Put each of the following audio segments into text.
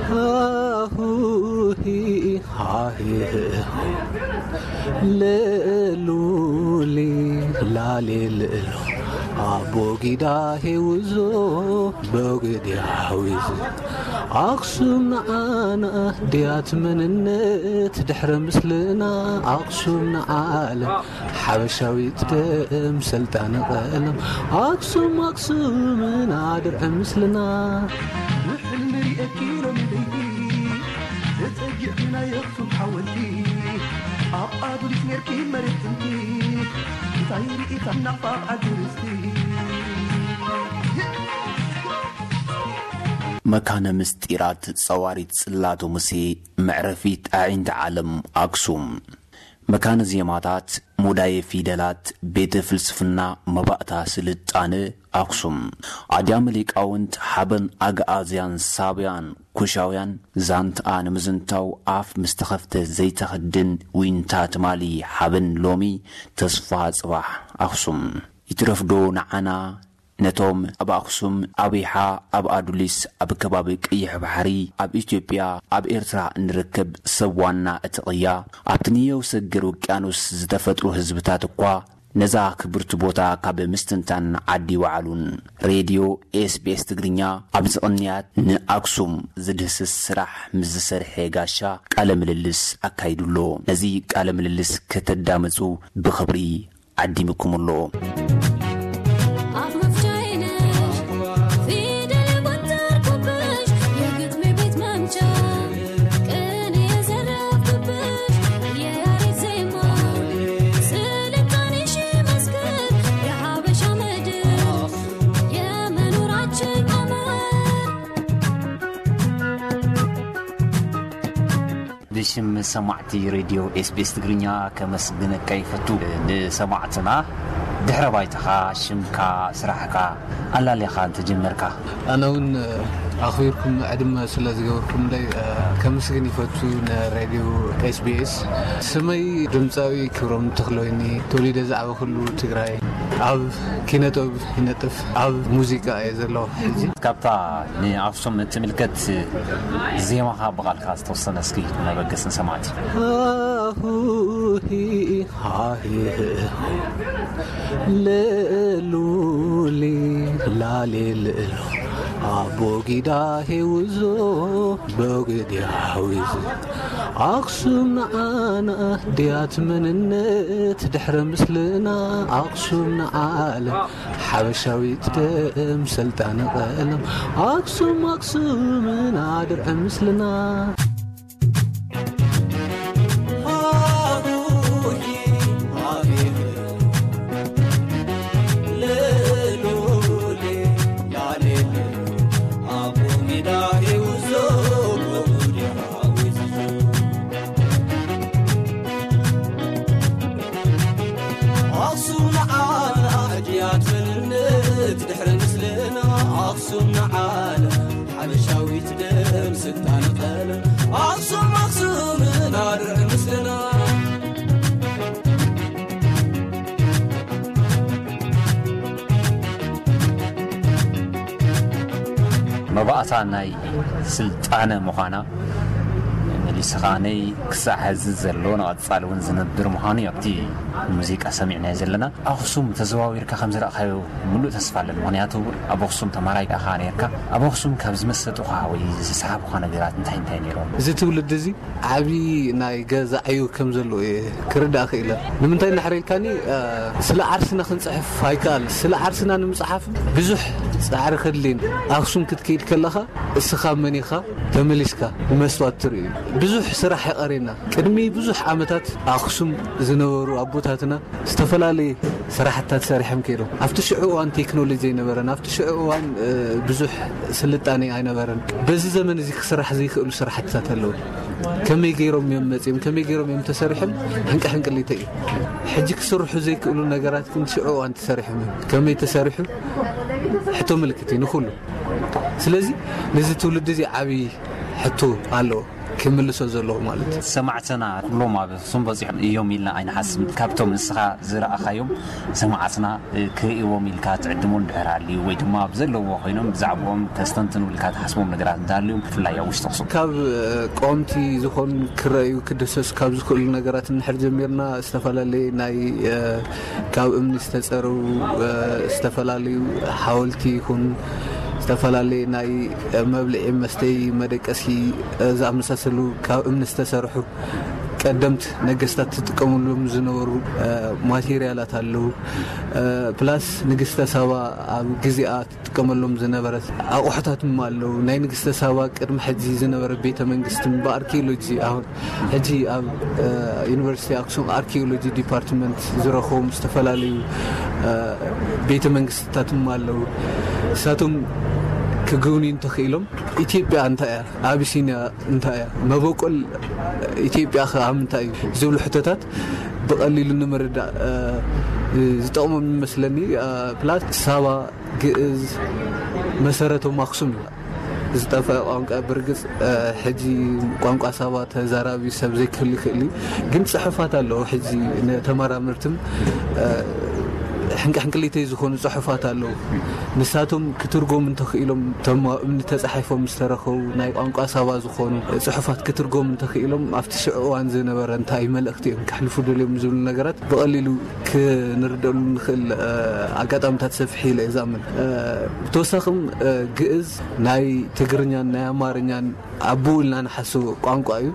ሃሁሂ ሃሂ ለሉሊ ላሌ ለሉ ኣቦጊዳ ሄውዞ በግዲ ሓዊዝ ኣኽሱም ንዓና ድያት መንነት ድሕረ ምስልና ኣኽሱም ንዓለም ሓበሻዊት ደም ሰልጣነ ቀለም ኣክሱም ኣክሱምና ድርዒ ምስልና። ብሕልሚ ሪኤኪ ሎሚ ለይቲ ተጸጊዕኪ ናይ ኣኽሱም ሓወልቲ ኣብ ኣዱሊስ ኔርኪ መሬት ጥንቲ እንታይ ርኢኻ ናፋቕ ዓዲ ርስቲ። መካነ ምስጢራት ጸዋሪት ጽላተ ሙሴ መዕረፊት ኣዒንቲ ዓለም ኣክሱም። መካነ ዜማታት፣ ሙዳየ ፊደላት፣ ቤተ ፍልስፍና፣ መባእታ ስልጣነ ኣክሱም። ኣድያመ ሊቃውንት፣ ሓበን ኣግኣዝያን ሳብያን ኩሻውያን፣ ዛንትኣ ንምዝንታው ኣፍ ምስ ተኸፍተ ዘይተኽድን ዊንታ ትማሊ ሓበን ሎሚ ተስፋ ጽባሕ ኣክሱም። ይትረፍዶ ንዓና ነቶም ኣብ ኣኽሱም፣ ኣብ ይሓ፣ ኣብ ኣዱሊስ፣ ኣብ ከባቢ ቀይሕ ባሕሪ፣ ኣብ ኢትዮጵያ፣ ኣብ ኤርትራ እንርከብ ሰብ ዋና እቲ ቅያ፣ ኣብቲ ንየው ሰገር ውቅያኖስ ዝተፈጥሩ ህዝብታት እኳ ነዛ ክብርቲ ቦታ ካብ ምስትንታን ዓዲ ይወዓሉን። ሬድዮ ኤስቢኤስ ትግርኛ ኣብዚ ቅንያት ንኣክሱም ዝድህስስ ስራሕ ምስ ዝሰርሐ ጋሻ ቃለ ምልልስ ኣካይዱ ኣሎ። ነዚ ቃለ ምልልስ ከተዳምጹ ብኽብሪ ዓዲምኩም ኣሎ። ኣፍ መፍቻዬ ነሽ ፊደል የቆጠርኩብሽ የግጥሜ ቤት መምቻ ቅኔ የዘረፍኩብሽ የያሬድ ዜማ ስልጣኔሽ መስክር የሀበሻ ምድር የመኖራችን ቀመር። ብሽም ሰማዕቲ ሬድዮ ኤስቢኤስ ትግርኛ ከመስግነካ ይፈቱ። ንሰማዕትና ድሕረ ባይታኻ፣ ሽምካ፣ ስራሕካ ኣላሊኻ እንተጀመርካ። ኣነ እውን ኣኽቢርኩም ዕድመ ስለ ዝገበርኩምለይ ከመስግን ይፈቱ ንሬድዮ ኤስቢኤስ። ስመይ ድምፃዊ ክብሮም ተኽለወይኒ፣ ተወሊደ ዝዓበኹሉ ትግራይ። ኣብ ኪነጥበብ ይነጥፍ፣ ኣብ ሙዚቃ እየ ዘለኹ ሕጂ። ካብታ ንኣኽሱም እትምልከት ዜማኻ ብቓልካ ዝተወሰነ እስኪ ነበገስ ንሰማዕቲ። ሃሁሂ ሃሂ ለሉሊ ላሌ ለሉ ኣቦጊዳ ሄውዞ በግዲ ሓዊዝ ኣኽሱም ንዓና ድያት መንነት ድሕረ ምስልና ኣኽሱም ንዓለም ሓበሻዊት ደም ሰልጣነ ቀለም ኣክሱም ኣክሱምና ድርዒ ምስልና። ኣኽሱም ንዓና ሕድያት መንነት ድሕሪ ምስልና ኣኽሱም ንዓና ሓበሻዊት ደም ስልጣን ቀለም ኣኽሱም ኣኽሱምና ድርዒ ምስልና። መባእታ ናይ ስልጣነ ምዃና መሊስኻነይ ክሳዕ ሕዚ ዘሎ ንቐጻሊ እውን ዝነብር ምዃኑ እዩ ኣብቲ ሙዚቃ ሰሚዕናዮ ዘለና። ኣኽሱም ተዘዋዊርካ ከም ዝረእኻዮ ምሉእ ተስፋ ኣለኒ። ምኽንያቱ ኣብ ኣኽሱም ተማራይ ኢኻ ነርካ። ኣብ ኣኽሱም ካብ ዝመሰጡኻ ወይ ዝሰሓቡኻ ነገራት እንታይ እንታይ ነይሮም? እዚ ትውልዲ እዚ ዓቢ ናይ ገዛ ዕዮ ከም ዘለዎ እየ ክርዳእ ክኢለ። ንምንታይ እንድሕር ኢልካኒ፣ እ፣ ስለ ዓርስና ክንጽሕፍ ኣይከኣል። ስለ ዓርስና ንምጽሓፍ ብዙሕ ጻዕሪ ከድልየን። ኣኽሱም ክትከይድ ከለኻ እስኻ መን ኢኻ ተመሊስካ ብመስትዋት ትርእዩ። ብዙሕ ስራሕ ይቐሬና። ቅድሚ ብዙሕ ዓመታት ኣኽሱም ዝነበሩ ኣቦታትና ዝተፈላለየ ስራሕትታት ሰሪሖም ከይዶም። ኣብቲ ሽዑ እዋን ቴክኖሎጂ ኣይነበረን። ኣብቲ ሽዑ እዋን፣ እ፣ ብዙሕ ስልጣኔ ኣይነበረን። በዚ ዘመን እዚ ክስራሕ ዘይክእሉ ስራሕትታት ኣለዉ። ከመይ ገይሮም እዮም መጺኦም? ከመይ ገይሮም እዮም ተሰሪሖም? ሕንቂ ሕንቅሊተ እዩ። ሕጂ ክስርሑ ዘይክእሉ ነገራት ግን ሽዑ እዋን ተሰሪሖም እዮም። ከመይ ተሰሪሑ? ሕቶ ምልክት እዩ ንኹሉ። ስለዚ ነዚ ትውልዲ እዚ ዓብዪ ሕቶ ኣለዎ። ክምልሶ ዘለዎ ማለት እዩ። ሰማዕትና ኩሎም ኣብ ኣኽሱም በፂሖም እዮም ኢልና ኣይንሓስብን። ካብቶም ንስኻ ዝረኣኻዮም ሰማዕትና ክርእይዎም ኢልካ ትዕድሞን ድሕር ኣልዩ ወይ ድማ ብዘለዎ ኮይኖም ብዛዕባኦም ተስተንትኑ ኢልካ ትሓስቦም ነገራት እንተሃልዮም ብፍላይ ኣብ ውሽጢ ኣኽሱም ካብ ቀምቲ ዝኾኑ ክረኣዩ ክደሰሱ ካብ ዝኽእሉ ነገራት እንድሕር ጀሚርና ዝተፈላለየ ናይ ካብ እምኒ ዝተፀረቡ ዝተፈላለዩ ሓወልቲ ይኹን ዝተፈላለየ ናይ መብልዒ መስተይ መደቀሲ ዝኣመሳሰሉ ካብ እምኒ ዝተሰርሑ ቀደምት ነገስታት ትጥቀምሎም ዝነበሩ ማቴሪያላት ኣለዉ። ፕላስ ንግስተ ሳባ ኣብ ግዜኣ ትጥቀመሎም ዝነበረት ኣቑሑታት ድማ ኣለዉ። ናይ ንግስተ ሳባ ቅድሚ ሕጂ ዝነበረ ቤተ መንግስቲ ብኣርኪኦሎጂ ኣሁን ሕጂ ኣብ ዩኒቨርሲቲ ኣክሱም ኣርኪኦሎጂ ዲፓርትመንት ዝረኸቦም ዝተፈላለዩ ቤተ መንግስትታት ድማ ኣለዉ። እሳቶም ክግብንዩ እንተኽኢሎም ኢትዮጵያ እንታይ እያ፣ ኣቢሲኒያ እንታይ እያ፣ መበቆል ኢትዮጵያ ከ ኣብ ምንታይ እዩ ዝብሉ ሕቶታት ብቐሊሉ ንምርዳእ ዝጠቕሞም ይመስለኒ። ፕላስ ሳባ ግእዝ መሰረቶም ኣክሱም እዩ። ዝጠፍአ ቋንቋ ብርግፅ ሕጂ ቋንቋ ሳባ ተዛራቢ ሰብ ዘይክህሉ ይኽእል እዩ። ግን ፅሑፋት ኣለዉ። ሕጂ ንተመራመርትም ሕንቅሕንቅሊተይ ዝኾኑ ፅሑፋት ኣለዉ። ንሳቶም ክትርጎም እንተኽኢሎም እቶም ኣብ እምኒ ተፃሒፎም ዝተረኸቡ ናይ ቋንቋ ሳባ ዝኾኑ ፅሑፋት ክትርጎም እንተኽኢሎም ኣብቲ ሽዑ እዋን ዝነበረ እንታይ መልእኽቲ እዮም ከሕልፉ ደልዮም ዝብሉ ነገራት ብቐሊሉ ክንርደሉ ንኽእል ኣጋጣሚታት ሰፊሕ ኢለ እየ ዝኣምን። ብተወሳኽም ግእዝ ናይ ትግርኛን ናይ ኣማርኛን ኣቦኡ ኢልና ንሓስቦ ቋንቋ እዩ።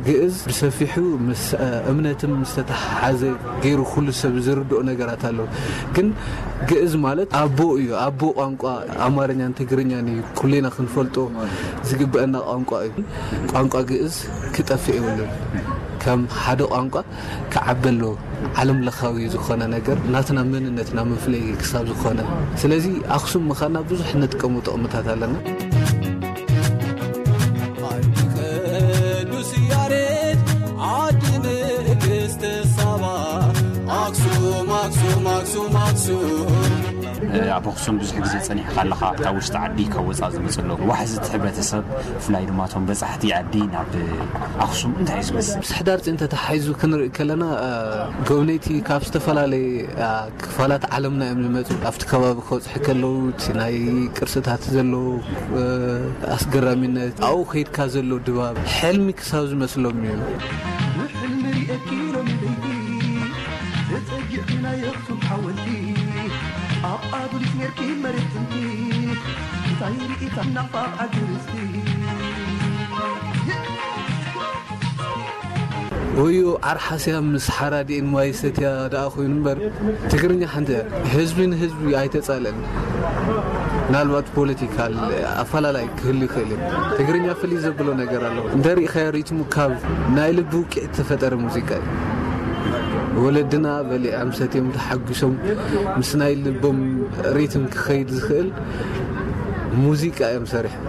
ግእዝ ብሰፊሑ ምስ እምነትን ምስ ተተሓሓዘ ገይሩ ኩሉ ሰብ ዝርድኦ ነገራት ኣሎ። ግን ግእዝ ማለት ኣቦ እዩ። ኣቦ ቋንቋ ኣማርኛን ትግርኛን እዩ። ኩሌና ክንፈልጦ ዝግበአና ቋንቋ እዩ። ቋንቋ ግእዝ ክጠፍእ የብሉን። ከም ሓደ ቋንቋ ክዓቢ ኣለዎ። ዓለም ለኻዊ ዝኾነ ነገር ናትና መንነትና መፍለይ ክሳብ ዝኾነ። ስለዚ ኣኽሱም ምዃና ብዙሕ ንጥቀሙ ጥቕምታት ኣለና። ዓዲ ቅዱስ ያሬድ ዓዲ ንግስቲ ሳባ ኣኽሱም ኣኽሱም ኣኽሱም ኣኽሱም። ኣብ ኣኽሱም ብዙሕ ግዜ ጸኒሕካ ኣለኻ። ካብ ውሽጢ ዓዲ ካብ ወጻኢ ዝመጹ ኣለዉ። ዋሕዚ እቲ ሕብረተሰብ ብፍላይ ድማ እቶም በጻሕቲ ዓዲ ናብ ኣኽሱም እንታይ እዩ ዝመስል? ምስ ሕዳር ጽዮን ተተሓሒዙ ክንርኢ ከለና ጎብነይቲ ካብ ዝተፈላለየ ክፋላት ዓለምና እዮም ዝመጹ። ኣብቲ ከባቢ ክበጽሑ ከለዉ እቲ ናይ ቅርስታት ዘለዎ ኣስገራሚነት ኣብኡ ከይድካ ዘሎ ድባብ ሕልሚ ክሳብ ዝመስሎም እዩ። ብሕልሚ ሪኤኪ ሎሚ ለይቲ ተጸጊዕኪ ናይ ኣኽሱም ሓወልቲ ኣብ ኣዱሊስ ኔርኪ መሬት ጥንቲ እንታይ ርኢታ ናፋቕ ዓዲ ርስቲ። ወዮ ዓርሓስያ ምስ ሓራዲኤን ማይ ሰትያ ደኣ ኮይኑ እምበር ትግርኛ ሓንቲ እያ። ህዝቢ ንህዝቢ ኣይተጻልአን። ምናልባት ፖለቲካል ኣፈላላይ ክህሉ ይኽእል እዩ። ትግርኛ ፍልይ ዘብሎ ነገር ኣለዎ። እንተ ሪኢኻዮ ሪትሙ ካብ ናይ ልቢ ውቅዒት ዝተፈጠረ ሙዚቃ እዩ። ወለድና በሊዖም ሰትዮም ተሓጒሶም ምስ ናይ ልቦም ሪትም ክኸይድ ዝኽእል ሙዚቃ እዮም ሰሪሖም።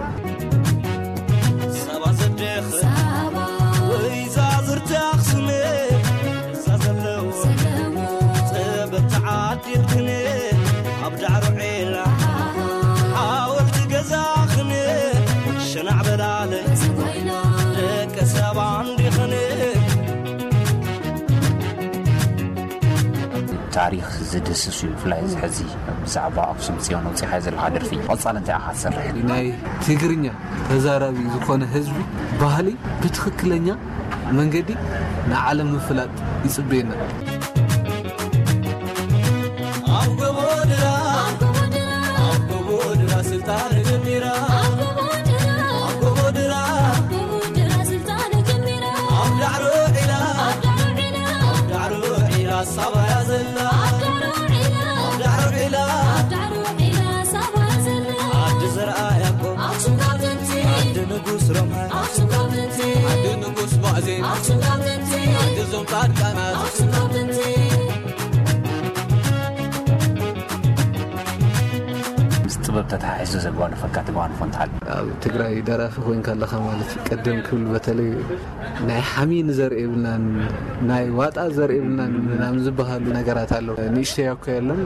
ሳባ ዘደኽን ወይዛዝርቲ ኣኽሱም እዛ ዘለዉ ጥበብ ተዓዲልክን ኣብ ዳዕሮ ዒላ ሓወልቲ ገዛኽን ሸናዕ በላለ ደቂ ሳባ እንዲኽን። ታሪኽ ዝድህስስ እዩ። ብፍላይ እዚ ሕዚ ብዛዕባ ኣኽሱም ጽዮን ኣውጺእኻዮ ዘለኻ ደርፊ ቀጻሊ እንታይ ኢኻ ትሰርሕ? ናይ ትግርኛ ተዛራቢ ዝኾነ ህዝቢ ባህሊ ብትኽክለኛ መንገዲ ንዓለም ምፍላጥ ይጽበየና። ኣብ ጎቦ ድራ፣ ኣብ ጎቦ ድራ ስልጣን ጀሚራ፣ ኣብ ጎቦ ድራ፣ ኣብ ጎቦ ድራ ስልጣን ጀሚራ፣ ኣብ ዳዕሮ ዒላ፣ ኣብ ዳዕሮ ዒላ፣ ኣብ ዳዕሮ ዒላ ሳባያ ዘላ፣ ኣብ ዳዕሮ ዒላ፣ ኣብ ዳዕሮ ዒላ፣ ኣብ ዳዕሮ ዒላ ሳባያ ዘላ፣ ዓዲ ዘርኣ ያዕቆብ ኣኽሱም ካብ ጥንቲ፣ ዓዲ ንጉስ ሮምሃ ኣኽሱም ካብ ጥንቲ፣ ዓዲ ንጉስ ሙዕዜ ኣኽሱም ካብ ጥንቲ፣ ዓዲ ዞም ጻድቃናት ኣኽሱም ካብ ጥንቲ። ምስ ጥበብ ተተሓሒዙ ዘጓነፈካ ተጓንፎ እንተሃልዩ? ኣብ ትግራይ ደራፊ ኮይንካ ኣለኻ ማለት እዩ። ቀደም ክብል በተለይ ናይ ሓሚ ንዘርኢ የብልናን፣ ናይ ዋጣ ዘርኢ የብልናን ምናምን ዝበሃሉ ነገራት ኣለዉ። ንእሽተይ እኮ የለን።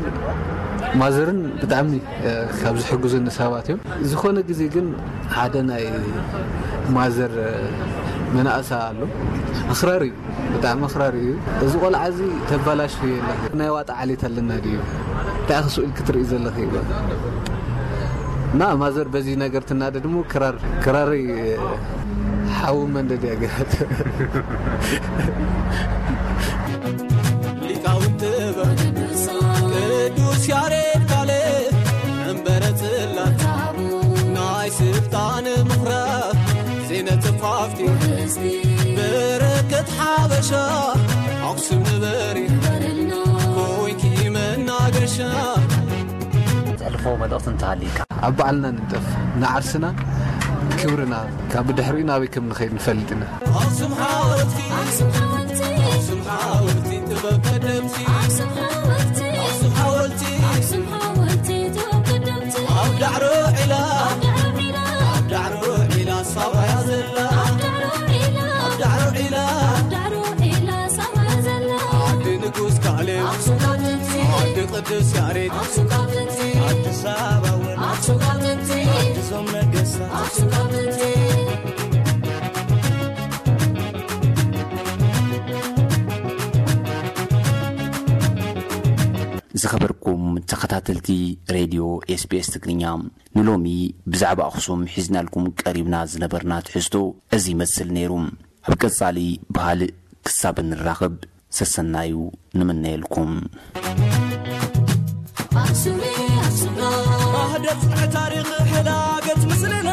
ማዘርን ብጣዕሚ፣ እ፣ ካብ ዝሕግዙኒ ሰባት እዮም። ዝኾነ ግዜ ግን ሓደ ናይ ማዘር፣ እ፣ መናእሳ ኣሎ። ኣኽራሪ እዩ፣ ብጣዕሚ ኣኽራሪ እዩ። እዚ ቆልዓ እዚ ተባላሽ የለ። ናይ ዋጣ ዓሌት ኣለና ድዩ? እንታይ ክስእል ክትርኢ ዘለኺ ይብል። እና ማዘር በዚ ነገር ትናደድ እሞ ክራር፣ ክራረይ ሓዊ መንደድ ያገራት። ሊቃውንቲ ጥበብ ቅዱስ ያሬድ ካልእ መንበረ ጽላት ናይ ስልጣን ምኽራብ ዜነ ተፋፍቲ በረከት ሓበሻ ኣኽሱም ንበሪ ኮይንኪ መናገሻ። ትሕልፎ መልእኽቲ እንተሃልይካ? ኣብ ባዕልና ንንጠፍ፣ ንዓርስና ክብርና ካብ ብድሕሪኡ ናበይ ከም ንኸይድ ንፈልጥ ኢና። ኣኽሱም ሓወልቲ ኣኽሱም ሓወልቲ ኣኽሱም ሓወልቲ ጥበብ ቀደምቲ ኣኽሱም ሓወልቲ ኣኽሱም ሓወልቲ ኣኽሱም ሓወልቲ ጥበብ ቀደምቲ ኣብ ዳዕሮ ዒላ ኣብ ዳዕሮ ዒላ ኣብ ዳዕሮ ዒላ ሳባያ ዘላ ኣብ ዳዕሮ ዒላ ኣብ ዳዕሮ ዒላ ኣብ ዳዕሮ ዒላ ሳባያ ዘላ ዓዲ ንጉስ ካሌብ ኣኽሱም ካብ ጥንቲ ዓዲ ቅዱስ ያሬድ ኣኽሱም ካብ ጥንቲ ኣዲስ ኣበባ እውን ኣኽሱም ካብ ጥንቲ ዓዲ ዞም ነገስታት ኣኽሱም ካብ ጥንቲ ዝኸበርኩም ተኸታተልቲ ሬድዮ ኤስቢኤስ ትግርኛ፣ ንሎሚ ብዛዕባ ኣኽሱም ሒዝናልኩም ቀሪብና ዝነበርና ትሕዝቶ እዚ ይመስል ነይሩ። ኣብ ቀጻሊ ብኻልእ ክሳብ እንራኸብ ሰሰናዩ ንምነየልኩም። ኣኽሱም ኣኽሱምና ማህደር ጽንዕ ታሪኽ ሕዳገት ምስልና